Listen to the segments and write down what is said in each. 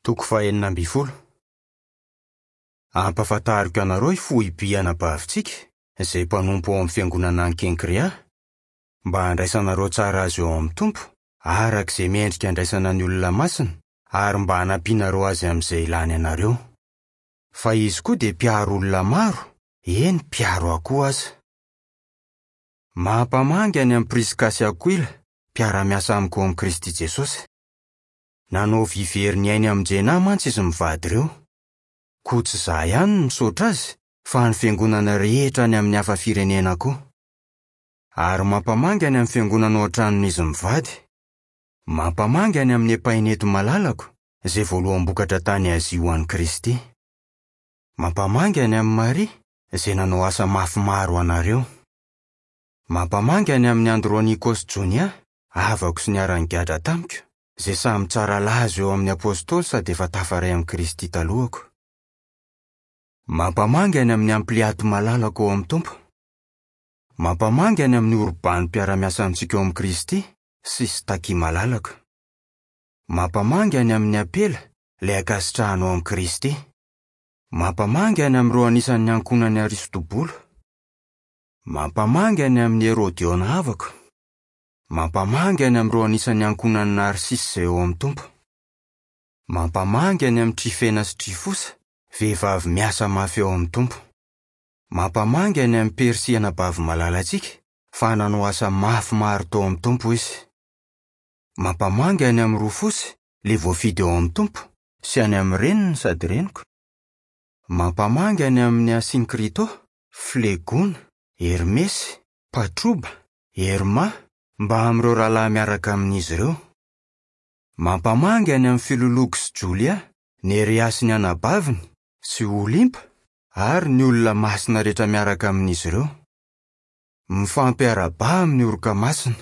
Toko fahenina ambin'ny folo. Ampahafantariko anareo i Foiby anabavintsika, izay mpanompo ao amin'ny fiangonana any Kenkrea, mba handraisanareo tsara azy eo amin'ny Tompo, araka izay mendrika handraisana ny olona masina, ary mba hanampianareo azy amin'izay ilany anareo. Fa izy koa dia mpiaro olona maro, eny, mpiaro ahy koa aza. Mampamangy any amin'i Priska sy Akoila, mpiara-miasa amiko ao amin'i Kristy Jesosy. Nanao vy very ny ainy hamonjena ahy mantsy izy mivady ireo. Koa tsy izaho ihany no misaotra azy, fa ny fiangonana rehetra any amin'ny hafa firenena koa. Ary mampamangy any amin'ny fiangonana ao an-tranon'izy mivady. Mampamangy any amin'i Epaineto malalako, izay voaloham-bokatra tany Azia ho an'i Kristy. Mampamangy any amin'i Maria, izay nanao asa mafy maro ho anareo. Mampamangy any amin'i Andronikosy Jonia, havako sy niara-nigadra tamiko, izay samy tsara laza eo amin'ny apostoly sady efa tafaray amin'i Kristy talohako. Mampamangy any amin'i Ampliato malalako ao amin'ny Tompo. Mampamangy any amin'i Orbano mpiara-miasa amintsika ao amin'i Kristy sy Staky malalako. Mampamangy any amin'i Apela, ilay ankasitrahana ao amin'i Kristy. Mampamangy any amin'ireo anisan'ny ankohonan'i Aristobolo. Mampamangy any amin'i Herodiona havako. Mampamangy any amin'ireo anisan'ny ankohonan'i Narsisy izay ao amin'ny Tompo. Mampamangy any amin'i Trifena sy Trifosa, vehivavy miasa mafy ao amin'ny Tompo. Mampamangy any amin'i Persia anabavy malalantsika, fa nanao asa mafy maro tao amin'ny Tompo izy. Mampamangy any amin'i Rofosy, ilay voafidy ao amin'ny Tompo, sy any amin'ny reniny sady reniko. Mampamangy any amin'i Asinkrito, Flegona, Hermesy, Patroba, Herma, mbamin'ireo rahalahy miaraka amin'izy ireo. Mampamangy any amin'i Filologo sy Jolia, Nerea sy ny anabaviny, sy Olimpa, ary ny olona masina rehetra miaraka amin'izy ireo. Mifampiarahabaha amin'ny oroka masina.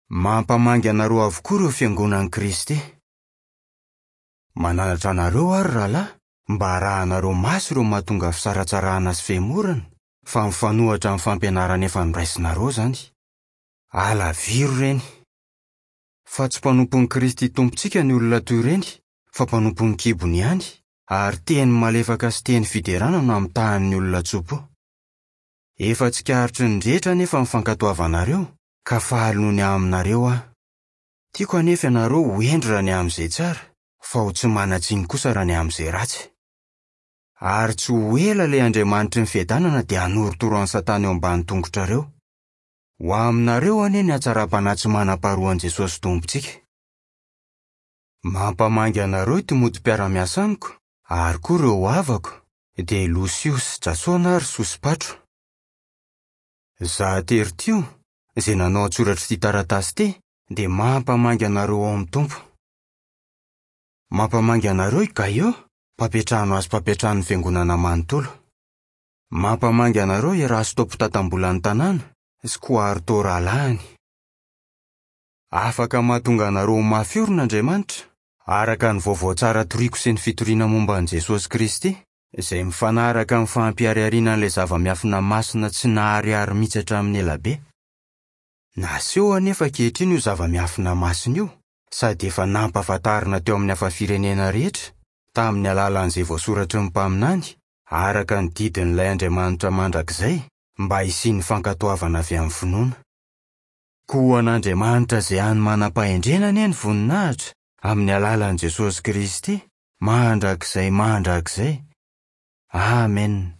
Mampamangy anareo avokoa ireo fiangonan'i Kristy. Mananatra anareo aho, ry rahalahy, mba harahanareo maso ireo mahatonga fisaratsarahana sy fihemorana, fa mifanohitra amin'ny fampianarana efa noraisinareo izany. Alaviro ireny. Fa tsy mpanompon'i Kristy Tompontsika ny olona toy ireny, fa mpanompon'ny kibony ihany, ary teny malefaka sy teny fiderana no amitahany ny olona tso-po. Efa tsikaritry ny rehetra anefa ny fankatoavanareo, ka faly noho ny aminareo aho. Tiako anefa ianareo ho hendry raha ny amin'izay tsara, fa ho tsy manan-tsiny kosa raha ny amin'izay ratsy. Ary tsy ho ela ilay Andriamanitry ny fiadanana dia hanorotoro an'i Satana eo ambany tongotrareo. Ho aminareo anie ny hatsaram-panahy tsy manam-paharoan'i Jesosy Tompontsika. Mampamangy anareo i Timoty mpiara-miasa amiko, ary koa ireo havako, dia i Losio sy Jasona ary Sosipatro. Izaho Tertio, izay nanao an-tsoratra ity taratasy ity, dia mampamangy anareo ao amin'ny Tompo. Mampamangy anareo i Gaio, mpampiantrano azy mpampiantrano ny fiangonana manontolo. Mampamangy anareo i Erasto mpitantam-bolan'ny tanàna sy Koarto rahalahiny. Afaka mahatonga anareo ho mafy orina Andriamanitra, araka ny vaovao tsara toriko sy ny fitoriana momba an'i Jesosy Kristy, izay mifanaraka amin'ny fampiharihariana an'ilay zava-miafina masina tsy naharihary mihitsy hatramin'ny elabe. Naseho anefa ankehitriny io zava-miafina masina io, sady efa nampahafantarina teo amin'ny hafa firenena rehetra, tamin'ny alalan'izay voasoratry ny mpaminany, araka ny didin'ilay Andriamanitra mandrakizay, mba hisian'ny fankatoavana avy amin'ny finoana. Koa ho an'Andriamanitra izay hany manam-pahendrena anie ny voninahitra, amin'ny alalan'i Jesosy Kristy, mandrakizay mandrakizay. Amena.